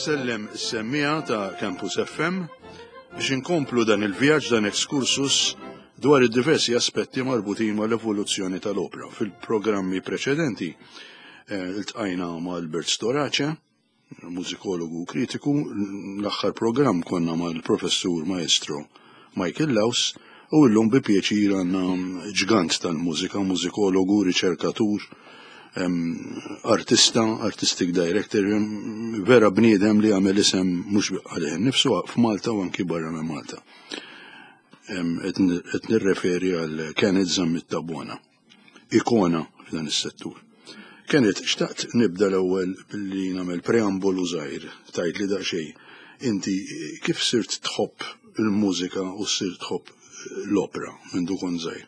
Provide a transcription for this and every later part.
Insellem is-semmiegħa ta' Campus FM biex inkomplu dan il-vjaġġ dan excursus dwar id-diversi aspetti marbutin mal-evoluzzjoni tal-opra. Fil-programmi preċedenti eh, iltqajna ma' Albert Storace, mużikologu u kritiku, l-aħħar programm konna mal-professur maestro Michael Laus u llum bi pjaċir għandna ġgant tal-mużika, mużikologu, riċerkatur, artista, artistic director, vera bniedem li għamel isem mhux għalih nifsu f'Malta u anki barra minn Malta. Qed nirreferi għal Kenneth Zammit Tabona. ikona f'dan is-settur. Kenneth, xtaqt nibda l-ewwel billi nagħmel preambolu żgħir, tgħid li daqsxejn inti kif sirt tħobb il-mużika u sirt tħobb l-opra minn du kont żgħir?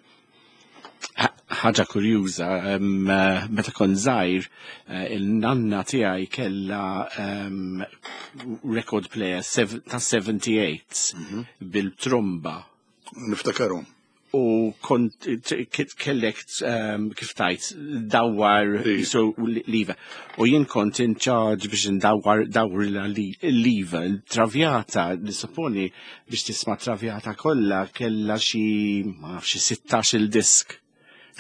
Ħaġa kurjuża, meta kont żgħir, eh, il-nanna tiegħi kellha record player ta' 78 mhm. bil-tromba. Niftakarhom. U kont kellek ehm, kif tajt dawwar so liva. U jien kont in charge biex ndawwar dawr liva. Il-travjata, nissupponi biex tisma' travjata kollha kellha xi ma nafx xi 16 il-disk.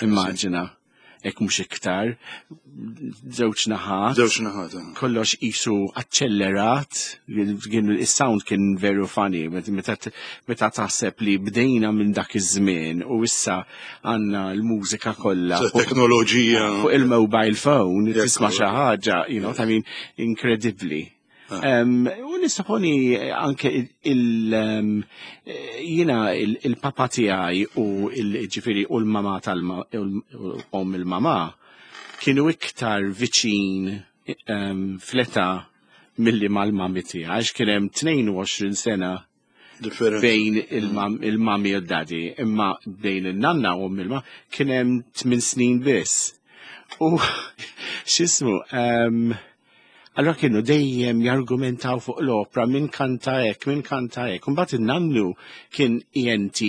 Immaġina hekk mhux iktar, żewġ naħat. Żewġ naħat. Eh. Kollox qisu aċċellerat, kien is-sound kien veru funny, meta taħseb li bdejna minn dak iż-żmien u issa għandna l-mużika kollha. Teknoloġija. Fuq il-mobile phone, tisma' xi ħaġa, you know, I mean, inkredibbli. Ah. U nissaponi anke il jina il-papa tiegħi u il-ġifieri u l-mama tal-om il-mama kienu iktar viċin fleta milli mal-mami tiegħi għax kien hemm 22 sena bejn il-mami u d-daddy, imma bejn il-nanna u il-ma kien hemm 8 snin biss. U x'ismu, allora kienu dejjem jargumentaw fuq l-opra min kanta hekk, min kanta hekk. Mbagħad in-nannu kien ENT,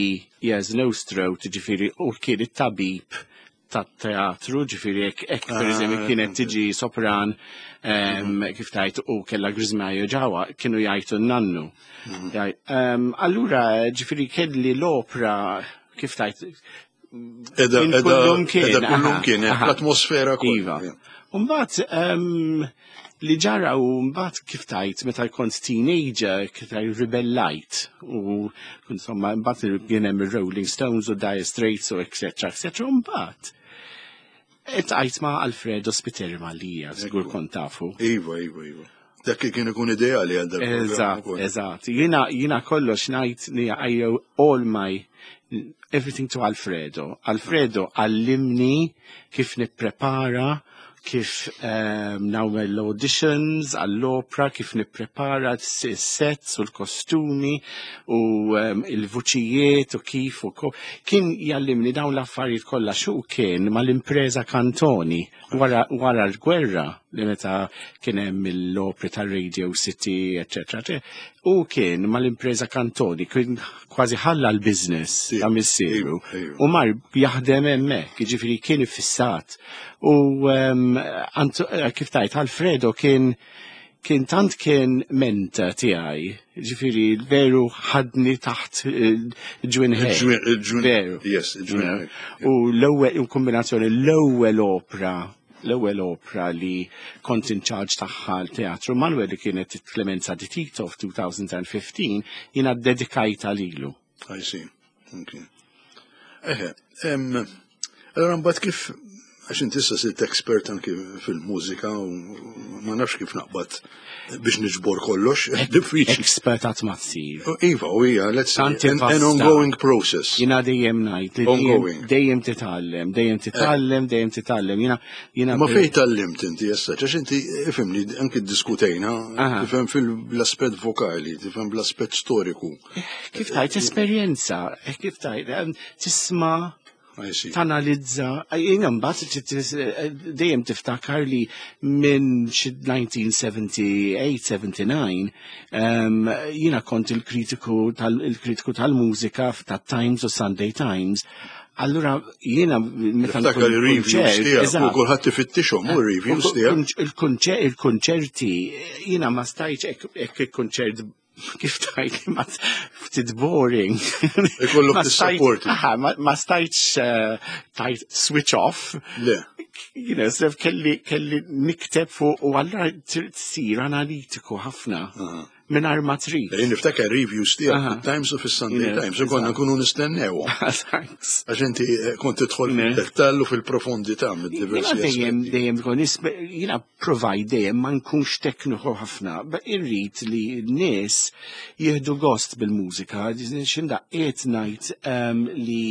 ears nose throat, ġifieri u kien it-tabib tat-teatru, ġifieri hekk hekk ah, pereżempju kienet tiġi sopran mhm. kif tajt u kellha griżmajo ġewwa kienu jgħidu n-nannu. Mhm. Allura ġifieri kelli l-opra kif tajt Edha, edha, kien, edha kien, l-atmosfera kollha. Iva. Mbagħad li ġara u mbagħad kif tajt meta kont teenager kif tajt ribellajt u insomma mbagħad kien hemm ir-Rolling Stones u Dire Straits u etc. etc. Mbagħad Iltqajt ma' Alfredo Spiteri Mallia, żgur kont tafu. Iva, iva, iva. Dak kien ikun ideali għal dak. Eżatt, eżatt. Jiena jiena kollox ngħid li I owe all my everything to Alfredo. Alfredo għallimni kif nipprepara kif um, nagħmel l-auditions għall-opra, kif nipprepara s-sets u l-kostumi u um, il-vuċijiet u kif u ko. Kien jallimni dawn l-affarijiet kollha xu kien mal-impreza Cantoni wara, wara l-gwerra li meta kien hemm l-opri tar-Radio City, eċetera. U kien mal-impreza Cantoni, kien kważi ħalla l-business ta' missieru u mar jaħdem hemmhekk, jiġifieri kien iffissat. U ehm, eh, kif tajt Alfredo kien kien tant kien menta tiegħi, ġifieri veru ħadni taħt eh, ġwinħej. Veru. Yes, ġwinħej. U l-ewwel kombinazzjoni l-ewwel opra l-ewwel opra li kont in charge tagħha l-Teatru Manuel li kienet Clemenza di Tito f'2015 jiena ddedikajta lilu. I see. Okay. Eħe, allora mbagħad kif għax inti issa sirt expert anki fil-mużika u ma nafx kif naqbad biex niġbor kollox, diffiċli. Expert għat ma tsir. Iva, u hija, let's say, an, an ongoing process. Jina dejjem ngħid li dejjem, dejjem titgħallem, dejjem titgħallem, dejjem titgħallem. Jina jina Ma fejn tgħallimt inti issa, għax inti ifhimni anki ddiskutejna, tifhem fil-aspett vokali, tifhem bl-aspett storiku. Kif tajt esperjenza, eh, kif tajt eh, tisma' tanalizza, jina mbagħad dejjem tiftakar li minn xi 1978-79 jiena kont il-kritiku tal-kritiku tal-mużika tat-Times u Sunday Times. Allura jiena meta Niftakar il-reviews tiegħek u kulħadd ifittixhom u reviews tiegħek. Il-konċerti jiena ma stajtx hekk il-konċert kif tajt ma ftit boring. Ikollok tissapporti. Ma stajtx eh, tajt switch off. Le. You know, sef kelli kelli nikteb fuq u allura tsir analitiku ħafna. Mingħajr ma trid. Jien niftakar reviews tiegħek Times of Sunday Times, u konna nkunu nistennew. Thanks. Għax inti eh, kont tidħol fil-dettall u fil-profondità mid-diversi. Dejjem dejjem tkun jiena provide dejjem ma nkunx tekniku ħafna, irrid li n-nies jieħdu gost bil-mużika, x'imdaqqiet ngħid ehm, li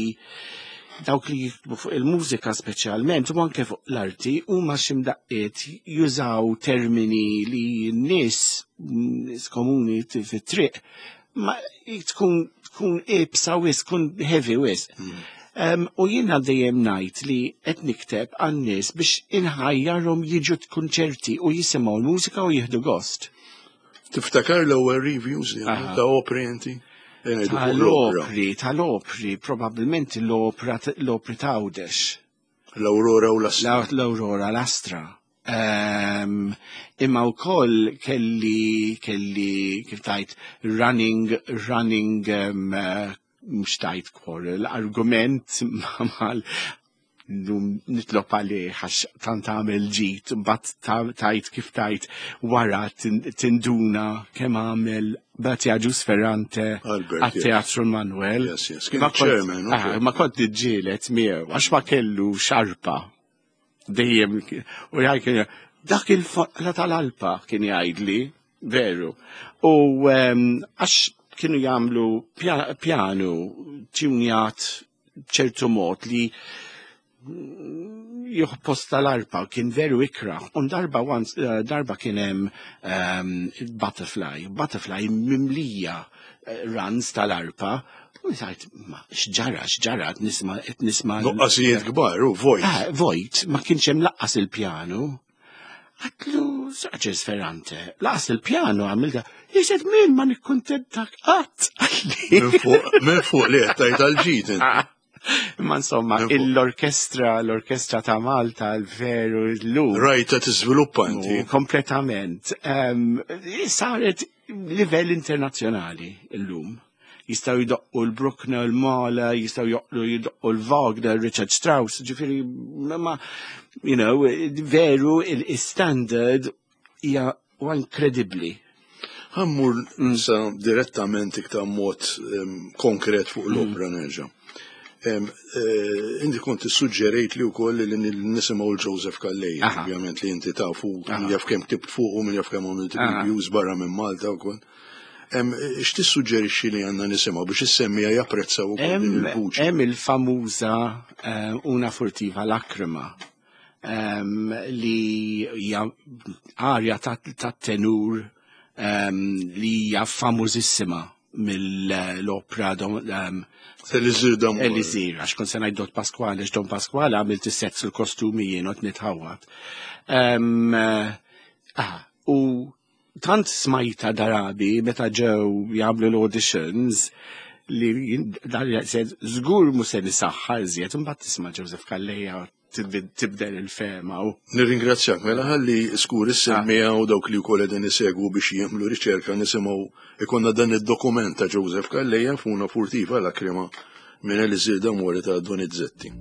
dawk li jiktbu fuq il-mużika speċjalment u anke fuq l-arti huma x'imdaqqiet jużaw termini li n-nies nies komuni fit-triq ma tkun tkun ibsa wis, tkun heavy wis. Mm. Um, u jiena dejjem ngħid li qed nikteb għan-nies biex inħajjarhom jiġu kunċerti u jisimgħu l-mużika u jieħdu gost. Tiftakar l-ewwel reviews li ta' opri inti? Tal-opri, tal-opri, probabbilment l-opra l-opri ta' Għawdex. L-Aurora u l-Astra. L-Aurora l-Astra. Um, imma wkoll kelli kelli kif tajt running running um, mhux tajt quarrel, argument mal nitlob għalih għax tant għamel ġid, mbagħad tajt kif tajt wara tinduna kemm għamel Bati Agius Ferrante għat-Teatru Manuel. Ah, ma kont niġġielet miegħu għax ma kellu xarpa. Dejjem u jgħid dak il-foqla tal-alpa kien jgħidli, veru. U ehm, għax kienu jagħmlu pjanu tjunjat ċertu mod li juħposta l-arpa kien veru ikra. Un darba once, eh, darba kien hemm um, butterfly, butterfly mimlija eh, runs tal-arpa. U sajt, ma xġara, xġara, nisma, nisma. Nuqqasijiet kbar, u vojt. Ah, vojt, ma kienx hemm laqqas il-pjanu. Għatlu, Saċes Ferrante, laqas il-pjanu għamilta, jised min ma nikkontentak qatt. Minn fuq li għattajt għal-ġid. Ah, imma insomma, l-orkestra, l-orkestra ta' Malta, l-veru, l-lum. Rajta tiżviluppa inti. Kompletament. Saret livell internazzjonali l-lum jistaw jidoqqu l-Bruckner, l-Mahler, jistaw joqqlu jidoqqu l-Wagner, Richard Strauss, ġifiri, ma, you know, veru il-standard hija inkredibbli. Ħammur nsa direttament iktar mod konkret fuq l-opra mm. nerġa'. Eh, inti kont suġġerejt li wkoll li nisimgħu l-Joseph Calleja, ovvjament li inti tafu, jaf kemm ktibt fuq u min jaf kemm għamilt reviews barra minn Malta wkoll. X'tissuġġerixxi li għandna nisimgħu biex is-semmija japprezzaw ukoll din il-vuċi? Hemm il-famuża eh, Una furtiva lakrima li hija arja tat-tenur li hija famużissima mill-opra Elisir Damore. Elisir, għax kont se ngħid Don Pasquale, għax Don Pasquale għamilt is-sets il-kostumi jien u nitħawat. Eh, ah, u tant smajta darabi meta ġew jagħmlu l-auditions li żgur mhux se nisaħħa iżjed imbagħad tisma' Joseph Calleja tibdel il-fema u. Nirringrazzjak mela ħalli skur is-semmija u dawk li wkoll qegħdin isegwu biex jagħmlu riċerka nisimgħu ikonna dan id-dokument ta' Joseph Calleja f'una furtiva lakrima minn Elisir D'Amore ta' Donizetti.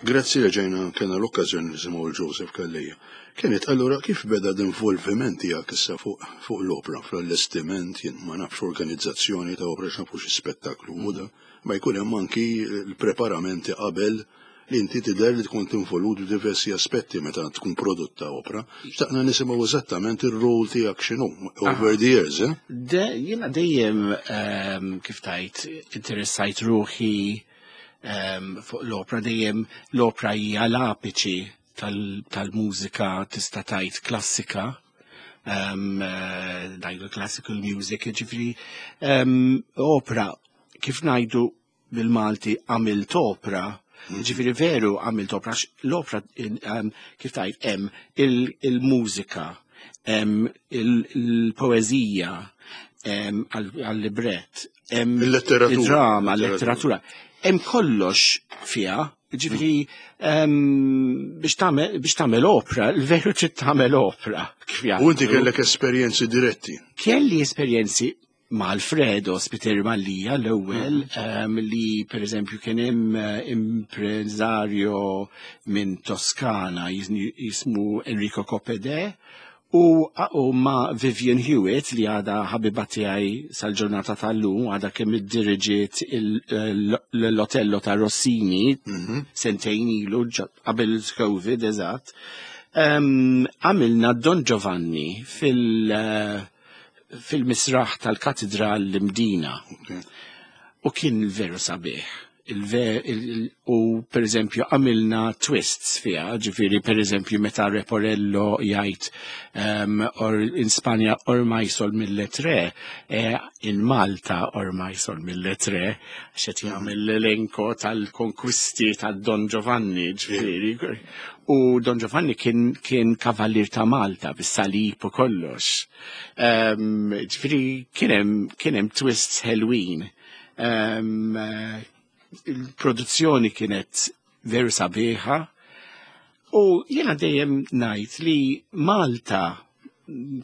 Grazzi li ġejna kena l-okkażjoni nisimgħu l Joseph Calleja. Kienet allura kif beda l-involviment tiegħek issa fuq fuq l-opra, fl-allestiment, jien ma nafx organizzazzjoni ta' opra x'nafu xi spettaklu u da, ma jkun hemm anki l-preparamenti qabel li inti tidher li tkun involut f'diversi aspetti meta tkun prodotta opra. Xtaqna nisimgħu eżattament ir-rol tiegħek x'inhu over the years, eh? Jiena dejjem kif tajt interessajt ruħi fuq l-opra dejjem l-opra hija l-apiċi tal-mużika tista' tgħid klassika ngħidu classical music, ġifieri opra kif ngħidu bil-Malti għamilt opra, ġifieri veru għamilt opra, l-opra kif tgħid hemm il-mużika, hemm il-poeżija, għal-librett, hemm Il-letteratura. il-drama, l-letteratura. Hemm kollox fiha, ġifieri biex tagħmel opra, il-veru trid tagħmel opra. Kif U inti kellek esperjenzi diretti. Kelli esperjenzi ma' Alfredo Spiteri Mallia l-ewwel li per eżempju kien hemm impreżarju minn Toskana jismu Enrico Coppedè u ma' Vivian Hewitt li għada ħabiba tiegħi sal-ġurnata tal-lum għada kemm iddiriġiet l-Otello ta' Rossini sentejn ilu qabel il-Covid eżatt. Għamilna Don Giovanni fil-misraħ tal-Katedral l-Imdina. U kien veru sabiħ. U per eżempju għamilna twists fiha, ġifieri per eżempju meta Leporello jgħid or in Spanja ormai sol mille tre, in Malta ormai sol mille tre, xed jagħmel l-elenko tal-konkwisti ta' Don Giovanni, ġifieri. U Don Giovanni kien kavallier ta' Malta bis-salib u kollox. Ġifieri kien hemm twists ħelwin. Il-produzzjoni kienet veru sabiħa. U jiena dejjem ngħid li Malta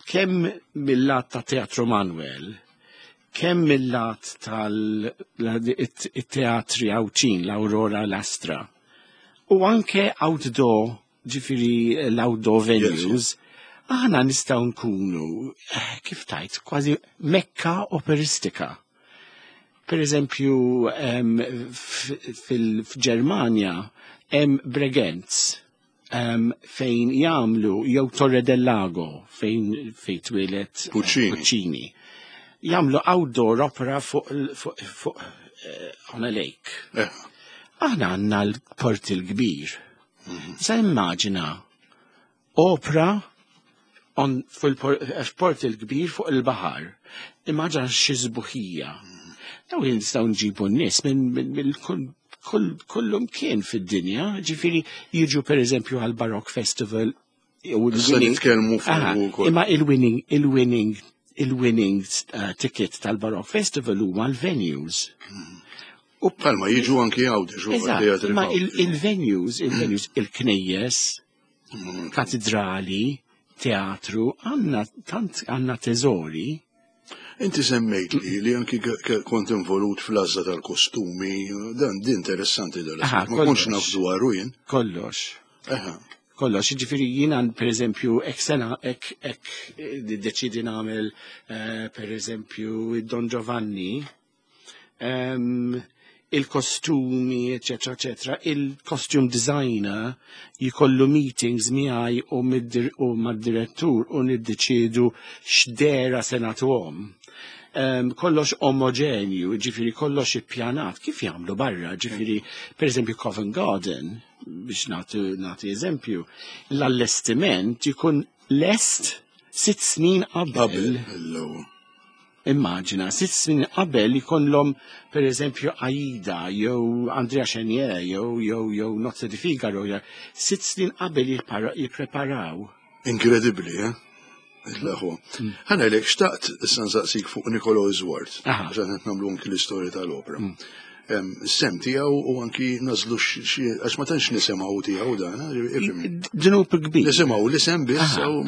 kemm mill-lat ta' Teatru Manuel, kemm mill-lat tal-teatri Għawdxin, l-Aurora l-Astra, u anke outdoor, ġifieri l-outdoor venues, aħna nistgħu nkunu, kif tajt, kważi mekka operistika. Per eżempju, fil-Ġermanja hemm Bregenz fejn jagħmlu jew Torre del Lago fejn fejn twieled Puccini. Puccini. Jagħmlu outdoor opera fuq fuq fuq on a lake. Aħna għandna l-port il-kbir. Sa immaġina opera on fil-port il-kbir fuq il-baħar. Immaġina xi sbuħija. Daw nistgħu nġibu n-nies minn kullum kien fid-dinja, ġifieri jiġu per eżempju għal Baroque Festival. Issa nitkellmu fuq ukoll. Imma il-winning ticket tal-Baroque Festival huma l-venues. U bħalma jiġu anki Għawdex u teatri. Imma il-venues, il-knejjes, katedrali, teatru, għandna tant għandna teżori. Inti semmejt li anki kont involut fl-għażla tal-kostumi, dan di interessanti dan. Ma kontx naf dwaru jien. Kollox. Kollox, ġifieri jiena per eżempju, ek sena, ek, ek deċidi nagħmel per eżempju Don Giovanni, il-kostumi, eccetera, eccetera, il-costume designer jikollu meetings miegħi u mad-direttur u niddeċiedu x'dera se nagħtuhom. Kollox omogenju, ġifieri kollox ippjanat, kif jagħmlu barra, ġifieri, per eżempju Covent Garden, biex nagħti eżempju, l-allestiment jkun lest 6 snin qabel. Qabel, l-ewwel. Immaġina, 6 snin qabel jkollhom per eżempju Aida, jew Andrea Chenier, jew Nozze di Figaro, jew 6 snin qabel jippreparaw. Inkredibbli, eh? Il-aħwa. Ħa ngħidlek, xtaqt issa nsaqsik fuq Nicolò Isouard, għax qed nagħmlu anki l-istorja tal-opera. Sem tiegħu u anki nażlu xi, għax ma tantx nisimgħu tiegħu dan, ifhimni. Dnub kbir. Nisimgħu l-isem biss, u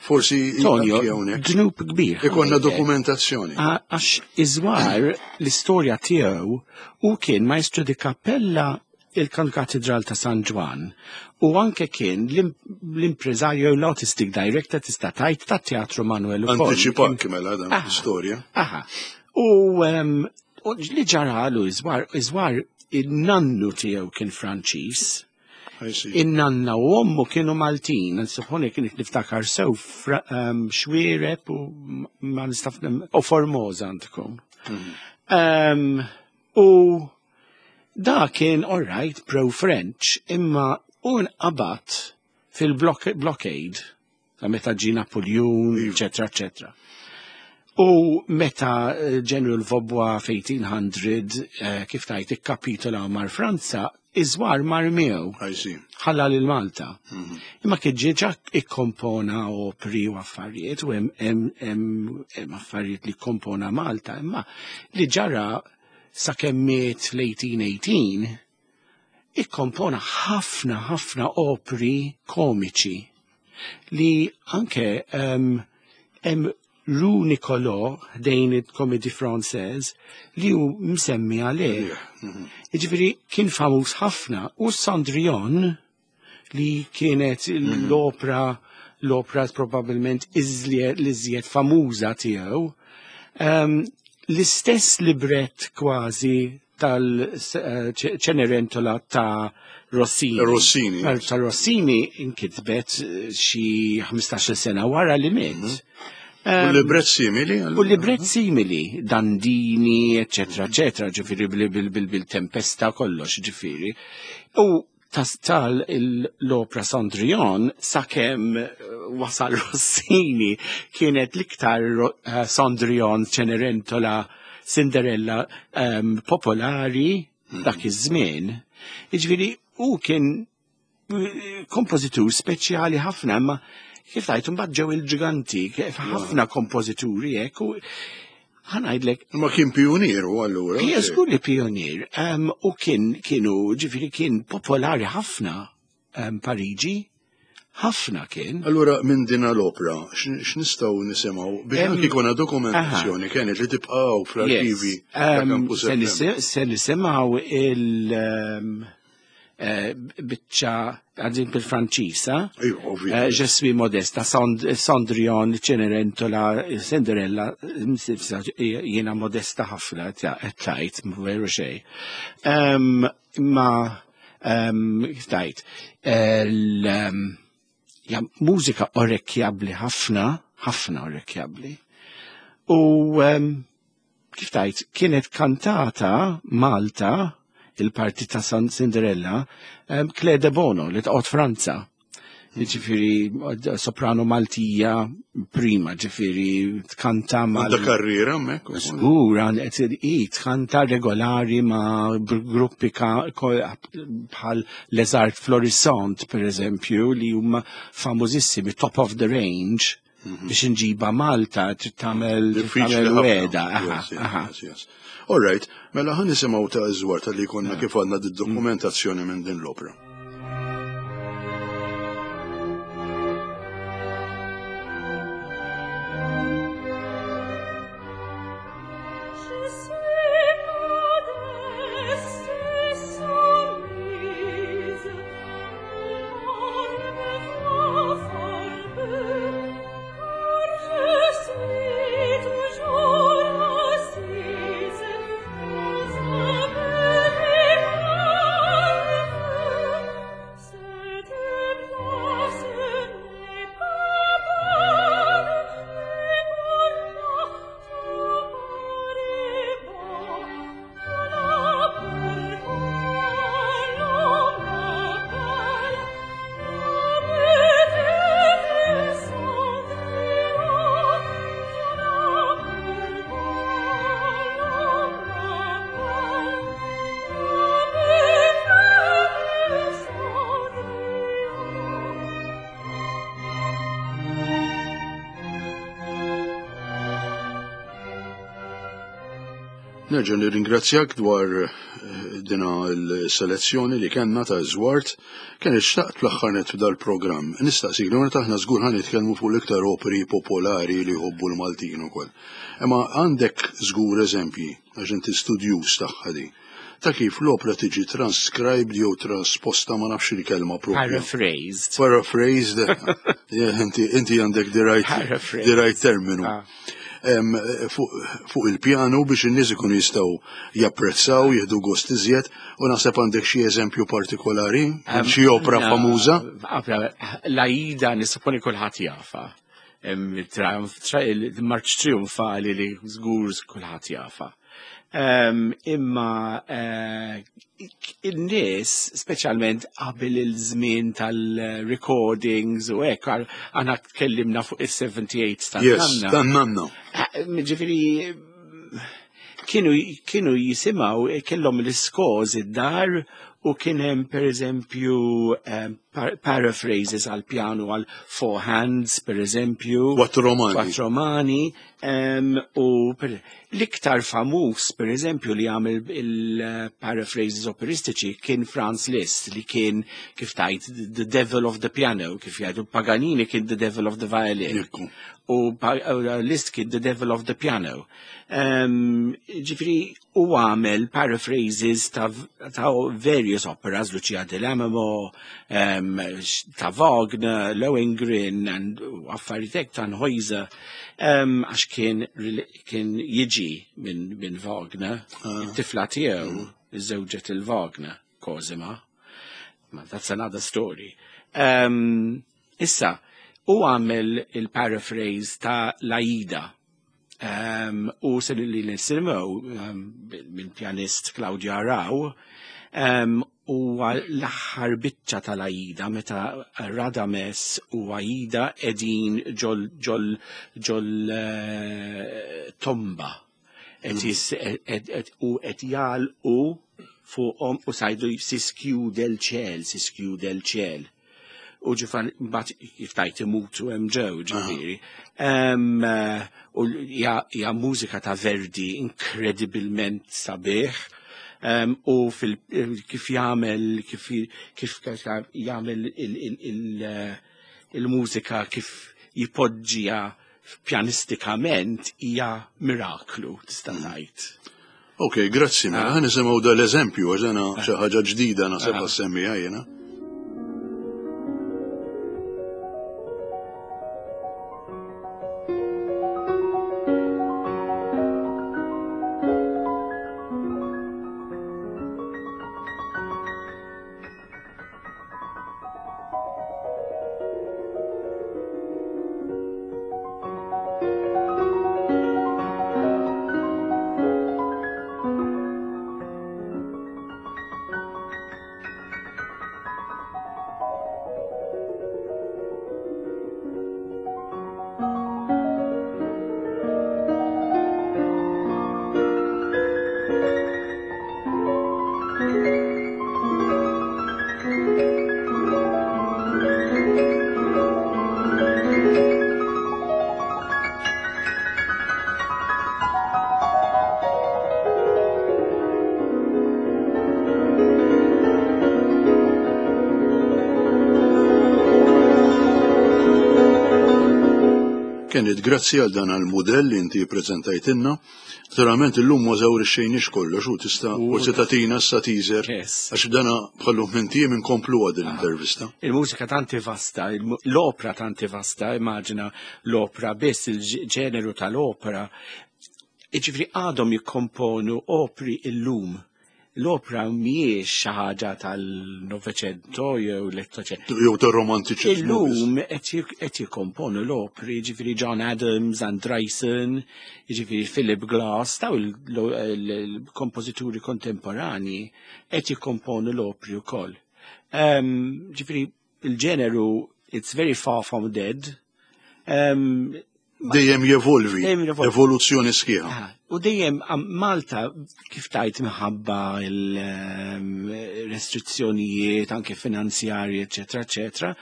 forsi Tonio, anki hawnhekk. Dnub kbir. Ikonna dokumentazzjoni. Għax Isouard l-istorja tiegħu u kien maestro di cappella il-Katedral ta' San Ġwann u anke kien l-impreżarju l-artistic director tista' tgħid ta' Teatru Manuel ukoll. Antiċipak mela dan l-istorja. U li ġaralu Isouard il-nannu tiegħu kien Franċiż. In-nanna u ommu kienu Maltin, nsupponi kien niftakar sew Xwiereb u ma nistaf u Formosa għandkom. U da kien all right pro-French, imma u nqabad fil-blockade ta' meta ġie Napoleon, eccetera, eccetera. U meta General Vaubois f'1800, kif tajt ikkapitola mar Franza, Isouard mar miegħu. I see. Ħalla lil Malta. Imma kien ġiġa ikkompona opri u affarijiet u hemm affarijiet li kompona Malta, imma li ġara sakemm miet l-1818 ikkompona ħafna ħafna opri komiċi li anke hemm Rue Nicolò ħdejn il-Comédie Française li hu msemmi għalih. Jiġifieri kien famuż ħafna u Cendrillon li kienet l-opra probabbilment l-iżjed famuża tiegħu, l-istess libret kważi tal-Cenerentola ta' Rossini. Rossini. Ta' Rossini inkitbet xi 15-il sena wara li miet. U libret simili? U libret simili, Dandini, eccetera, eccetera, ġifieri bil-tempesta kollox, ġifieri. U tal l-opera Cendrillon sakemm wasal Rossini kienet l-iktar Cendrillon, Cenerentola, Cinderella popolari dak iż-żmien. Jiġifieri u kien kompożitur speċjali ħafna, imma kif tajt mbagħad ġew il-ġiganti, kif ħafna kompożituri hekk u ħa ngħidlek. Ma kien pionier u allura. Hija żgur li pionier, u kien kienu ġifieri kien popolari ħafna. Pariġi, ħafna kien. Allura minn din l-opra, x'nistgħu nisimgħu biex anki jkollna dokumentazzjoni kienet li tibqgħu fl-arkivi ta' Campus FM. Se nisimgħu il- biċċa għadin bil-Franċisa. Eh, Je suis modesta, Sondrion, Cenerentola, Cinderella, jiena modesta ħafna, tajt, veru xej. Imma, tajt, mużika orekjabli ħafna, ħafna orekjabli. U kif tajt, kienet kantata Malta, il-parti ta' San Cinderella, Claire de Bono li tqgħod Franza. Ġifieri soprano Maltija prima, ġifieri tkanta ma' Għandha karriera hemmhekk. Żgur, tkanta regolari ma' gruppi bħal Les Arts Florissant, per eżempju, li huma famużissimi, top of the range. Mhm. Biex inġiba Malta trid tagħmel weda. All right, mela ħan nisimgħu ta' iżwar tal-li konna kif għandna d-dokumentazzjoni minn din l-opra. Nerġa' nirringrazzjak dwar eh, dina l-selezzjoni li kellna ta' Zwart. Kien xtaqt fl-aħħar net f'dal-programm. Nistaqsik li meta aħna żgur ħa nitkellmu fuq l-iktar operi popolari li jħobbu l-Maltin ukoll. Imma għandek żgur eżempji għax inti studjuż tagħha di ta' kif l-opra tiġi transcribed jew trasposta ma nafx il-kelma propja. Paraphrased. Paraphrased. Inti għandek the right, the right terminu. Ah. Fuq il-pjanu biex in-nies ikunu jistgħu japprezzaw, jieħdu gost iżjed, u naħseb għandek xi eżempju partikolari, xi opra famuża. L-Aida nissuponi kulħadd jafa. Il-marċ trionfali li żgur kulħadd jafa. Imma eh, in-nies, speċjalment qabel il-żmien tal-recordings u hekk, għana tkellimna fuq is-78 tan-nanna. Tan-nanna. Eh, ġifieri kienu kienu jisimgħu eh, kellhom l-iskoż id-dar u kien hemm pereżempju eh, paraphrases għal pjanu għal four hands pereżempju. Quattro romani. Quattro romani. U l-iktar famuż, per eżempju, li għamel il-paraphrases operistiċi kien Franz Liszt, li kien, kif tajt, the devil of the piano, kif jgħidu, Paganini kien the devil of the violin. U Liszt kien the devil of the piano. Ġifri, u għamel paraphrases ta', ta various operas, Lucia di Lammermoor, um, ta' Wagner, Lohengrin, and affarijiet hekk Tannhäuser, um, għax kien, kien jiġi minn min Wagner, ah. it-tifla tiegħu mm. iżżewġet il-Wagner, Cosima. Ma that's another story. Um, issa, u għamel il-paraphrase ta' L-Aida Um, u se li nisimgħu um, mill-pjanist Claudio Arrau um, u l-aħħar biċċa tal-Aida meta Radames u Aida edin ġol ġol ġol uh, tomba et mm. u qed jagħlqu fuqhom u sajdu siskju del ċel, siskju del ċel. U ġifan mbagħad kif tajt imutu hemm ġew ġifieri. Eh, u hija mużika ta' Verdi inkredibilment sabiħ. U fil kif jagħmel kif kif jagħmel il-mużika kif jipoġġija pjanistikament hija miraklu tista' ngħid. Ok, grazzi, mela ħa nisimgħu dal-eżempju għax dana xi ħaġa ġdida naħseb għas-semmiegħa jiena. Kenneth, grazzi għal dan għal-modell li inti prezentajtinna. Naturalment illum ma żawrixxejniex kollox u tista' forsi tagħtina issa teaser għax dana bħallu minn inkomplu għad l-intervista. Il-mużika tanti vasta, l-opra tanti vasta, immaġina l-opra biss il-ġeneru tal-opra. Iġifri għadhom jikkomponu opri illum. L-opra mhijiex xi ħaġa tal-Novecento jew l-Ottocento. Jew tar-romantiċiżmu. Illum qed jikkomponu l-opri, jiġifieri John Adams, Andriessen, jiġifieri Philip Glass, daw il-kompożituri kontemporani qed jikkomponu l-opri wkoll. Ġifieri il-ġeneru it's very far from dead. Dejjem jevolvi, evoluzzjoni sħiħa. U dejjem Malta kif tajt minħabba il-restrizzjonijiet anke finanzjarji, eċetera, eċetera,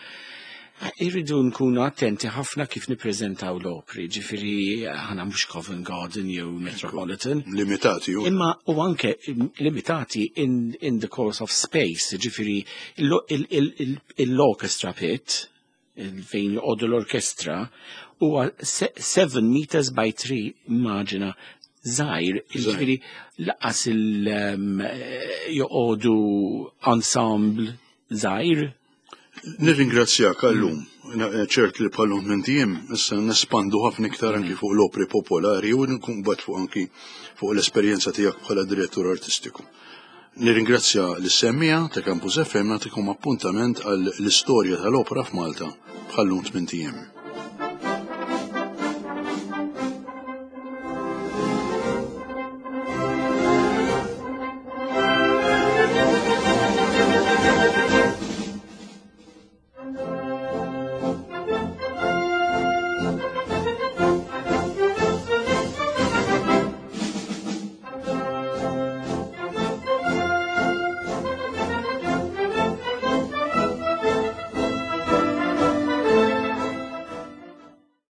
irridu nkunu attenti ħafna kif nippreżentaw l-opri, ġifieri aħna mhux Covent Garden jew Metropolitan. Limitati. Imma u anke limitati in the course of space, ġifieri l-orchestra pit, fejn joqogħdu l-orkestra, huwa 7 meters by 3, immaġina, żgħir, ġifieri lanqas joqogħdu ensemble żgħir. Nirringrazzjak għallum. Ċert li bħallum minn tiem, issa nespandu ħafna iktar anki fuq l-opri popolari u nkun bat fuq anki fuq l-esperjenza tiegħek bħala direttur artistiku. Nirringrazzja l-semmiegħa ta' Campus FM, nagħtikom appuntament għal l-istorja tal-opra f'Malta bħallum 8 ijiem.